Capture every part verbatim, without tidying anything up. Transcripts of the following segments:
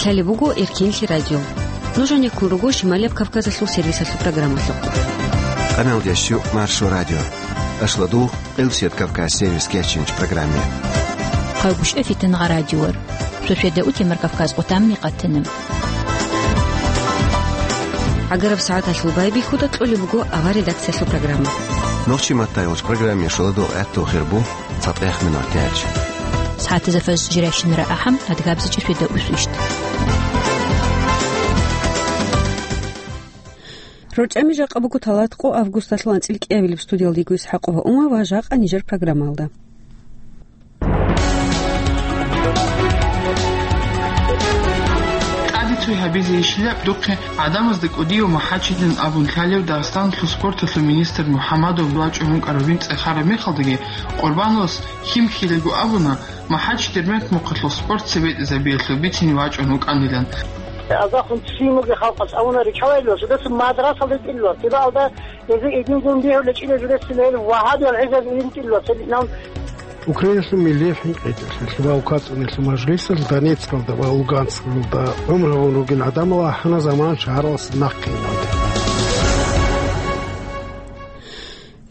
Лъалеб буго Эркенлъи радио. Нуж гьанеккун руго Шималияб Кавказалъул сервисалъул программалъухъ. Къаналдеш щу Маршо радио. Ашладу, Къилсият Кавказ сервис кечинч программе. Хъайгушев Фитангъа радиор. Шошеда утемар Кавказ къутамни къатана. ГӀагараб сагӀаталъул байбихьуда кьолеб буго авар редакциялъул программа. Нохчи маттай уч программе шоладу гӀатту хирбу. ЦатӀех минут гьечӀ. СагӀатазда фаз жирайщинара ахӀам, адгабзичӀеб шведа усвищ. РорчӀами жакъа буго талатӀкъо августалъул анцӀил кӀиабилеб. Студиялда йиго ИсхӀакъова Ума ва жакъа нижер программалда. ТӀаде цой гьабизе ишилаб духъе гӀадамазда кӀудияв махӀачидин абун лъалев Дагъистаналъул спорталъул министр МухӀаммадов вачӀун вукӀараб винцӀа хараб мехалдаги Къурбановас хьимхьилаго абуна, МахӀач Дербент мухъалъул спорт цебетӀезабиялъул бицине вачӀун вукӀанилан. Азахун ццин бугеб халкъалъ абуна ричалайилан, жидеца мадрасалде тӀилла, тибаалда гьезие идин-дун бигьула чӀила жидеца гьел вагьабиял гӀезазе иритӀилла, цебитӀнав. Украиналъул милли хӀинкъиялъул ва укацӀунелъул мажлисалъ Донецкалда ва Луганскалда гӀумру гьавун ругел гӀадамал ахӀана заман шагьаралъ нахъе иналде.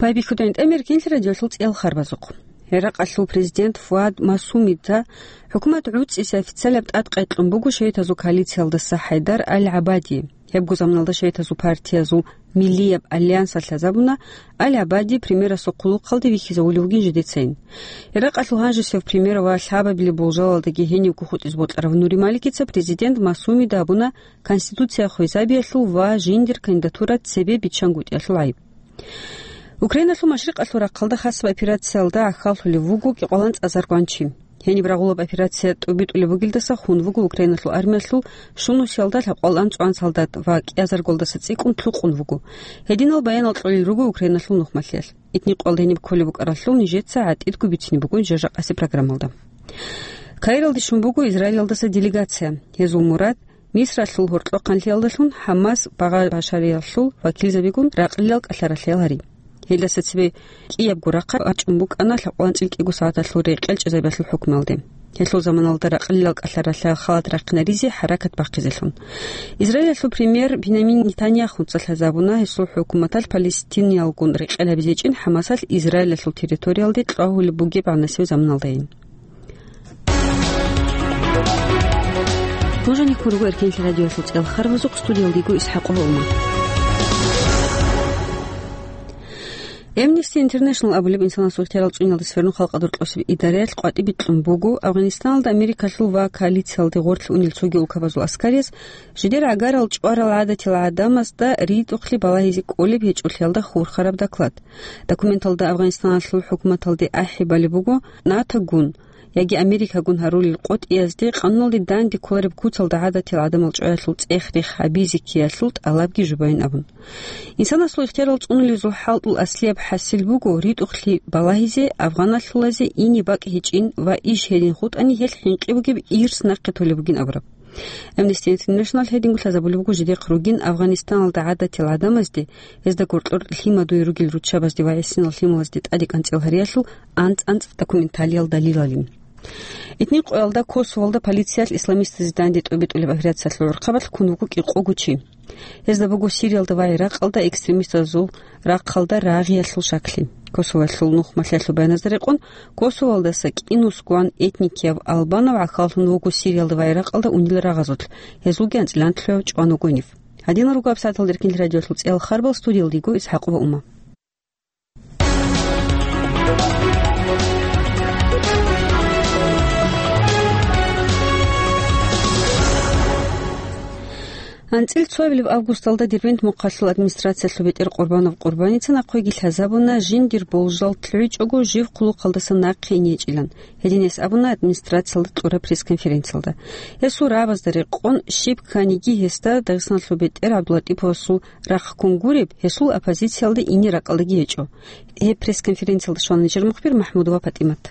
Байбихьуда гьанже Эркенлъи радиолъул цӀиял харбазухъ. ГӀиракъалъул президент Фуад Масумида хӀукумат гӀуцӀизе официалаб тӀад къекълъун буго шагьидазул коалициялдаса ХӀайдар Ал-ГӀабади. Гьебго заманалда шагьидазул партиязул Миллияб альянсалъ лъазабуна, Ал-ГӀабади премьерасул хъулухъалде вихьизавулев вугин жидецайин. ГӀиракъалъул гьанжесев премьер ва лъабабилеб болжалалдаги гьенивго хутӀизе бокьарав Нури Маликица президент Масумида абуна, конституция хвезабиялъул ва жиндир кандидатура цебе биччангутӀиялъул гӀайиб. Украиналъул машрикъалъул рахъалда хасаб операциялда гӀахьаллъулев вуго кӀикъоялда цӀакъ заргванчи. Гьениб рагъулаб операция тӀубитӀулеб бугелдаса хун вуго Украиналъул армиялъул щунусиялда лъабкъоялда цӀуан солдат ва кӀиазаргоялдаса цӀикӀкӀун лъукъун вуго. Гьединал баянал кьолел руго Украиналъул нухмалъиялъ. Этникъоялда гьениб кколеб букӀаралъул нижеца гӀатӀидго бицине буго жакъасеб программалда. Каиралде щун буго Израилалдаса делегация. Гьезул мурад Мисралъул гьоркьохъанлъиялдалъун ХӀамас багъа-башариялъул вакилзабигун ракълилал кӀалъаралъиял гьари. Гьелдаса цебе кӀиябго рахъал рачӀун букӀана лъабкъоялда анцӀила кӀиго сагӀаталъул рекъел чӀезабиялъул хӀукмуялде. Гьелъул заманалда ракълилал кӀалъаралъиял халат рахъинаризе хӀаракат бахъизелъун. Израилалъул премьер Бинямин Нетаньяхуца лъазабуна гьесул хӀукуматалъ палестиниялгун рекъел гьабизечӀин ХӀамасалъ Израилалъул территориялде кьвагьулеб бугеб гӀанасеб заманалдайин. Нуж гьанеккун руго Эркенлъи радиолъул цӀиял харбазухъ, студиялда йиго ИсхӀакъова Ума. Amnesty International абулеб инсанасул ихтиярал цӀуниялдаса верун халкъалда рокьосеб идараялъ къватӀибе кьун буго, Афганистаналда Америкалъул ва коалициялде гъорлъ унел цоги улкабазул аскарияз жидер гӀагарал чӀварал гӀадатиял гӀадамазда ритӀухълъи балагьизе кӀолеб гьечӀолъиялда хурхараб доклад. Документалда Афганистаналъул хӀукуматалде ахӀи балеб буго, НАТОгун яги Америкагун гьарулел къотӀиязде къануналде данде кколареб куцалда гӀадатиял гӀадамал чӀваялъул цӀех-рех гьабизе ккеялъул тӀалабги жубайин абун. Инсанасул ихтиярал цӀунулезул хӀалтӀул аслияб хӀасил буго ритӀухълъи балагьизе, афганалъулазе ине бакӀ гьечӀин ва иш гьедин хутӀани гьелъ хӀинкъи бугеб ирс нахъе толеб бугин абураб. Amnesty International гьединго лъазабулеб буго жидехъ ругин Афганистаналда гӀадатиял гӀадамазде, гьезда гьоркьор лъимадуе ругел руччабазде ва гӀисинал лъималазде тӀаде кӀанцӀил гьариялъул анцӀ-анцӀ документалиял далилалин. Этникъоялда Косовоялда полициялъ исламистазе данде тӀобитӀулеб операциялъул гӀурхъабалъ ккун вуго кӀикъого чи. Гьезда буго Сириялда ва Иракъалда экстремистазул рахъалда рагъиялъул шаклъи. Косовоялъул нухмалъиялъул баяназда рекъон, Косовоялдаса кӀинусгван этникияв албанав гӀахьаллъун вуго Сириялда ва Иракъалда унел рагъазулъ, гьезулги анцӀила анлъго чӀван вуго гьенив. Гьадинал руго гьабсагӀаталда Эркенлъи радиолъул цӀиял харбал, студиялда йиго ИсхӀакъова Ума. АнцӀила цоабилеб августалда Дербент мухъалъул администрациялъул бетӀер Къурбанов Къурбаница нахъеги лъазабуна, жиндир болжал лъугӀичӀого жив хъулухъалдаса нахъе ине гьечӀилан. Гьедин гьес абуна администрациялда кьураб пресс-конференциялда. Гьесул рабазда рекъон, щиб кканиги гьесда Дагъистаналъул бетӀер ГӀабдуллатӀиповасул рахъ ккун гуреб, гьесул оппозициялде ине ракӀалдаги гьечӀо. Гьеб пресс-конференциялда щвана нижер мухбир Махмудова ПатӀимат.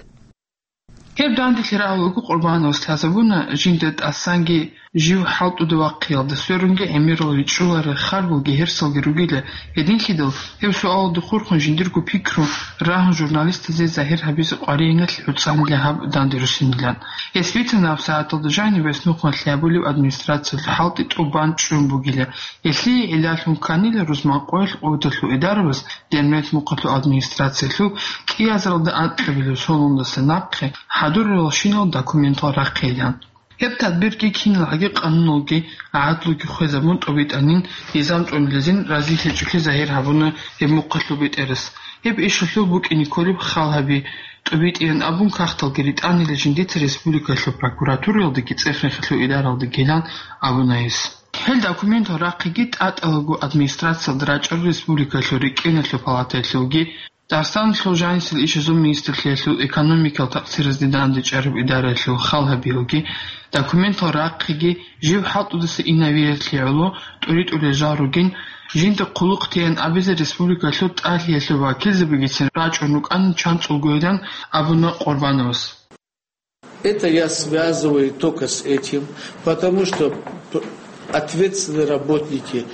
Гьеб данделъи рагӀул вуго Къурбановас лъазабуна жинда тӀасанги Жив хӀалтӀуда вахъиялда сверунги гӀемерал ричӀчӀуларел харбалги гьерсалги ругила, гьединлъидал гьеб суалалда хурхун жиндирго пикру рагьун журналистазе загьир гьабизе къваригӀиналъ гӀуцӀанила гьаб данде руссинилан. Гьес бицана гьаб сагӀаталда жаниб гьес нухмалъи гьабулеб администрациялъул хӀалтӀи тӀубан чӀун бугила. Гьелъие гӀиллалъун кканила рузманкъоялъ къуваталъул идарабаз Дербент мухъалъул администрациялъул кӀиазаралда анкьабилеб соналдаса нахъе хӀадуралщинал документал рахъейилан. Гьеб тадбирги киналги къануналги гӀадлуги хвезабун тӀубитӀанин, низам цӀунилезин разилъичӀолъи загьир гьабуна гьеб мухъалъул бетӀерас. Гьеб ишалъул букӀине кколеб хал гьаби, тӀубитӀеян абун кагъталги ритӀанила жиндица республикалъул прокуратураялдаги цӀех-рехалъул идаралдагилан абуна гьес. Гьел документал рахъиги тӀатӀалаго администрациялда рачӀарал республикалъул рикӀкӀиналъул палатаялъулги, Дагъистаналъул жанисел ишазул министрлъиялъул экономикал такъсиразде дандечӀараб идараялъул хал гьабиялги, документал рахъиги жив хӀалтӀудаса инавиялъе гӀоло тӀуритӀулел жал ругин, жинда хъулухъ тейин абизе республикалъул тӀалъиялъул вакилзабигицин рачӀун рукӀанин чанцӀулгойилан абуна Къурбановас. Это я связываю только с этим, потому что п-, ответственные работники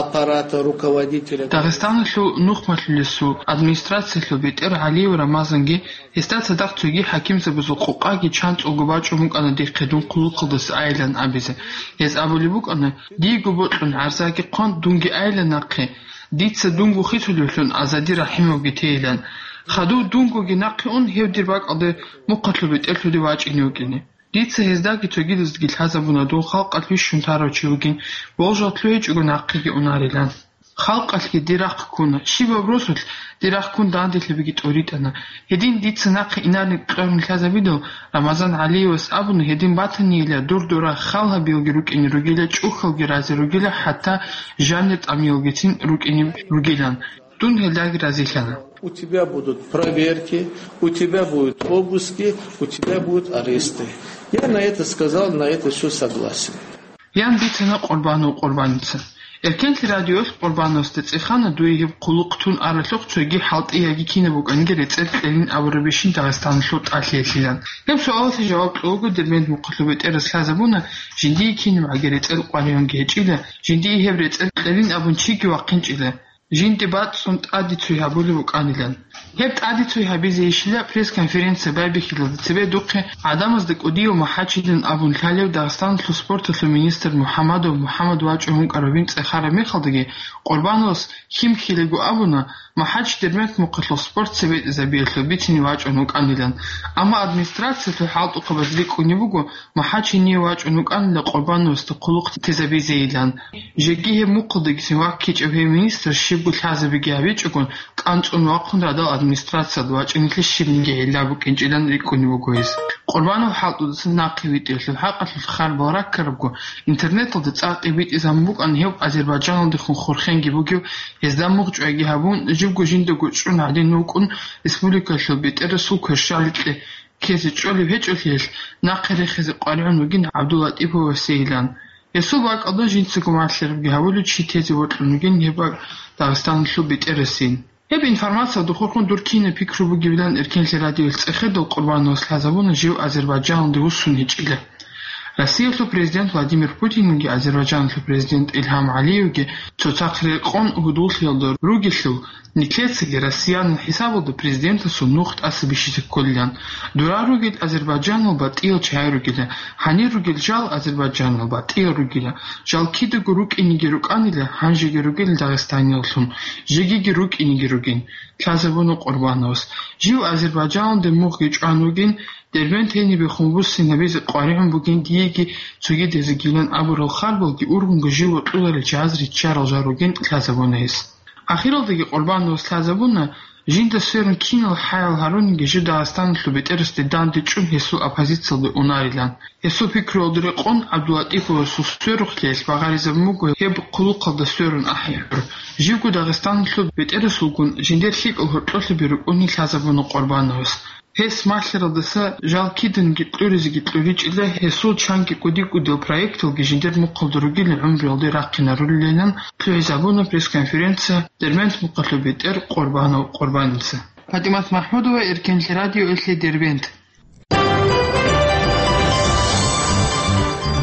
аппарата, руководителя. Дагъистаналъул нухмалъулесул администрациялъул бетӀер ГӀалиев Рамазанги гьесда цадахъ цоги хӀакимзабазул къокъаги чанцӀулго бачӀун букӀана дихъе дун хъулухъалдаса айилан абизе. Гьез абулеб букӀана: «Дийго бокьун гӀарзаги хъван, дунги айила нахъе. Дица дунго хисулевлъун Азади РахӀимовги тейилан. Хадув дунгоги нахъе ун, гьев дир бакӀалде мухъалъул бетӀерлъуде вачӀине вукӀине. Дица гьездаги цогидаздаги лъазабуна дун халкъалъ вищун тарав чи вугин, болжал лъугьичӀого нахъеги унарилан. Халкъалъги дир рахъ ккуна, щибаб росулъ дир рахъ ккун данделъабиги тӀуритӀана. Гьедин дица нахъе инарин кьурун лъазабидал, Рамазан ГӀалиевас абуна, гьедин батанийила дур дора хал гьабиялги рукӀине ругила, чӀухьалги рази ругила, хӀатта жанир тӀамиялгицин рукӀине ругилан. Дун гьелдаги разилъана». У тебя будут проверки, у тебя будут обыски, у тебя будут аресты. Я на это сказал, на это все согласен. Ян бицана Къурбанов Къурбаница. Эркенлъи радиоялъ Къурбановасда цӀехана дуе гьеб хъулухъ тун аралъухъ цоги хӀалтӀи яги кинаб букӀанги рецӀел кьелин абурабищин Дагъистаналъул тӀалъиялъилан. Гьеб суалалъе жаваб кьолаго Дербент мухъалъул бетӀерас лъазабуна, жиндие кинаб гӀаги рецӀел къваригӀунги гьечӀила, жиндие гьеб рецӀел кьелин абун чиги вахъинчӀила. Жинди бацӀцӀун тӀаде цой гьабулеб букӀанилан. Гьеб тӀаде цой гьабизейищила пресс-конференция байбихьилалде цебе духъе гӀадамазда кӀудияв МухӀачидин абун лъалев Дагъистаналъул спорталъул министр МухӀамадов МухӀамад вачӀун вукӀарабин цӀехараб мехалдаги, Къурбановас хьимхьилаго абуна, МухӀач Дербент мухъалъул спорт советзабиялъул бицине вачӀун вукӀанилан. Амма администрациялъул хӀалтӀухъабаз рикӀкӀунеб буго, МухӀач гьение вачӀун вукӀанила Къурбановасда хъулухъ тезабизейилан. Жеги гьеб мухъалдагицин ваккичӀеб гьев министр щибго лъазабиги гьабичӀогон, кӀанцӀун вахъун радал администрациялда вачӀинеблъи щибниги гӀилла букӀинчӀилан рикӀкӀунеб буго гьес. Къурбанов хӀалтӀудасан нахъе витӀиялъул хӀакъалъулъ харбал раккарабго, интернеталда цӀакъ тӀибитӀизабун букӀана гьев Азербайджаналдехун хурхенги бугев, гьезда мугъчӀвайги гьабун, живго жиндаго чӀун гӀадин вукӀун, республикалъул бетӀерасул кверщаликье ккезе чӀолеб гьечӀолъиялъ, нахъе рехизе къваригӀун вугин ГӀабдуллатӀиповасейилан. Гьесул бакӀалда жинцаго малъарабги гьавулев чи тезе вокьун вугин гьеб бакӀ Дагъистаналъул бетӀерасейин. Гьеб информациялда хурхун дур кинаб пикру бугебилан Эркенлъи радиоялъ цӀехедал Къурбановас лъазабуна жив Азербайджаналде вуссун гьечӀила. Россиялъул президент Владимир Путинги Азербайджаналъул президент Илгьам ГӀалиевги цоцахъ рекъон гьудуллъиялда ругелъул, нилъецаги россиянал хӀисабалда президентасул нух тӀаса бищизе кколилан. Дора ругел Азербайджанал батӀиял чагӀи ругила, гьанир ругел жал Азербайджанал батӀиял ругила. Жал кидаго рукӀинеги рукӀанила, гьанжеги ругел Дагъистанияллъун, жегиги рукӀинеги ругин, лъазабуна Къурбановас. Жив Азербайджаналде мугъги чӀван вугин, Дербент гьенибехун вуссин гьабизе къваригӀун бугин диеги цогидазегилан абурал харбалги ургъунго жив вокьуларел чагӀаз риччарал жал ругин лъазабуна гьес. Ахиралдаги Къурбановас лъазабуна, жинда сверун кинал хӀаял гьарунги жив Дагъистаналъул бетӀерасде данде чӀун гьесул оппозициялде унарилан. Гьесул пикруялда рекъон ГӀабдуллатӀиповасул сверухълъиялъ багъаризабун буго гьеб хъулухъалда сверун ахӀи-хӀур. Живго Дагъистаналъул бетӀерасулгун жиндер лъикӀал гьоркьолъаби рукӀунин лъазабуна Къурбановас. Гьес малъаралдаса жал киданги кьуризеги кьуричӀила, гьесул чанги кӀуди-кӀудиял проекталги жиндер мухъалда ругел гӀумруялде рахъинарулилан лъугӀизабуна пресс-конференция Дербент мухъалъул бетӀер Къурбанов Къурбаница. ПатӀимат МахӀмудова, Эркенлъи радиоялъе, Дербент.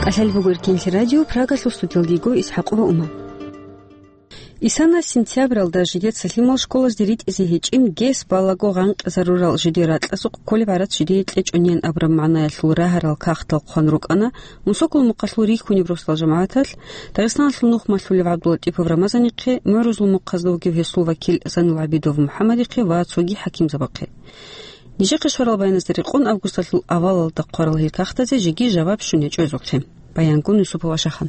КӀалъалеб буго Эркенлъи радио, Прагалъул студиялда йиго ИсхӀакъова Ума. Исана сентябралда жидеца лъимал школазде ритӀизе гьечӀин гес балаго гъанкъизарурал жидер ракьазухъ кколеб гӀарац жидее кьечӀонин абураб магӀнаялъул рагьарал кагътал хъван рукӀана Мусокол мукъалъул рихьунеб росдал жамагӀаталъ, Дагъистаналъул нухмалъулев ГӀабдуллатӀипов Рамазанихъе, МугӀрузул мухъазда вугев гьесул вакил Зайнул ГӀабидов МухӀаммадихъе ва цоги хӀакимзабахъе. Нижехъе щварал баяназда рекъон августалъул авалалда хъварал гьел кагътазе жеги жаваб щун гьечӀо гьезухъе. Баянгун Юсупова Шахан.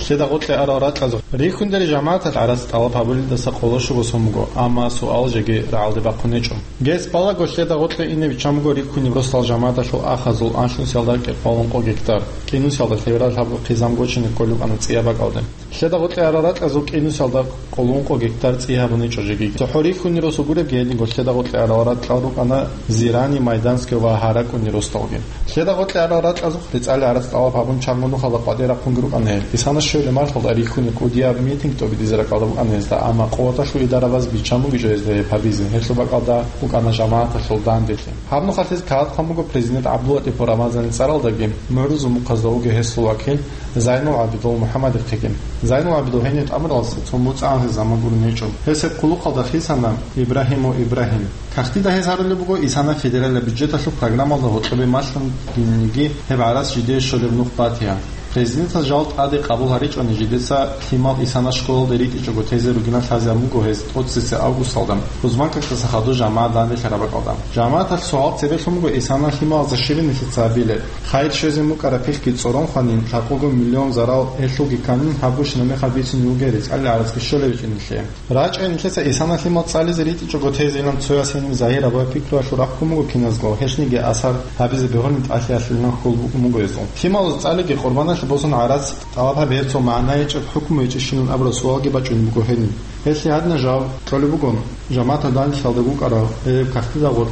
Лъеда гъоркье арал ракьазухъ рихьундари жамагӀаталъ гӀарац тӀалаб гьабулелдаса къоло щуго сон буго, амма суал жеги рагӀалде бахъун гьечӀо. Гес балаго лъеда гъоркье ине биччан буго рихьунеб росдал жамагӀаталъул ахазул анлънусиялда кӀикъоялда ункъо гектар, кӀинусиялда лъеберал лъабго хъизан гочине кколеб букӀана ЦӀияб бакӀалде. Лъеда гъоркье арал ракьазул кӀинусиялда къоло ункъо гектар цӀи гьабун гьечӀо жеги. ЦохӀо рихьунеб росу гуребги гьединго лъеда гъоркье арал ракьал рукӀана Зирани, Майданское ва Гьаракуни росдалги. Лъеда гъоркье арал ракьазухъ рецӀали гӀарац тӀалаб гьабун чанго нухалда къватӀир рахъунги рукӀана гьел. Исана щвелеб марталда рихьунеб кӀудияб митинг тӀобитӀизе ракӀалда букӀана гьезда, амма къуваталъул идараби биччан бугищ гьезда гьеб гьабизе, гьелъул бакӀалда букӀана жамагӀаталъул данделъи. Гьаб нухалъ гьез кагъат хъван буго президент ГӀабдуллатӀипов Рамазанил цӀаралдаги, МугӀрузул мухъазда вугев гьесул вакил Зайнул ГӀабидов МухӀаммадихъеги. Зайнул ГӀабидов гьенив тӀамуралдаса цо моцӀ гӀанасеб заман гурун гьечӀо. Гьес гьеб хъулухъалда хисана Ибрагьимов Ибрагьим. Кагътида гьез гьарулеб буго Исана федералияб бюджеталъул программалда гьоркьобе малъун диниги гьеб гӀарац жидее щолеб нух батизе. Президентас жал тӀаде къабул гьаричӀони жидеца лъимал Исана школалде ритӀичӀого тезе ругиналъ лъазе гьабун буго гьез тӀоцебесеб августалда, Кузманкакдаса хадур жамагӀат данделъараб бакӀалда. ЖамагӀаталъ суал цебе лъун буго Исана лъималазда щиб нилъеца гьабилеб. Хайир щвезегӀан букӀараб пихьги цӀорон хванин, лъабкъого миллион зарал гьелъулги кканин, гьаб гущинаб мехалъ бицунеб бугеб рецӀали гӀарацги щолеб гьечӀин нилъее. РачӀай нилъеца Исана лъимал цӀализе ритӀичӀого тезейилан цояс гьениб загьир абуяб пикруялъул рахъун буго киназго, гьелъниги асар гьабизе бегьулин тӀалъиялъулилан хьул букӀун буго гьезул. Лъималаз цӀалиги къурбаналъе босун гӀарац тӀалаб гьаби гьеб цо магӀна гьечӀеб хӀукму гьечӀищилан абураб суалги бачӀунеб буго гьениб. Гьелъие гьадинаб жаваб кьолеб буго жамагӀаталъул данделъиялда букӀараб гьеб кагътида гъоркь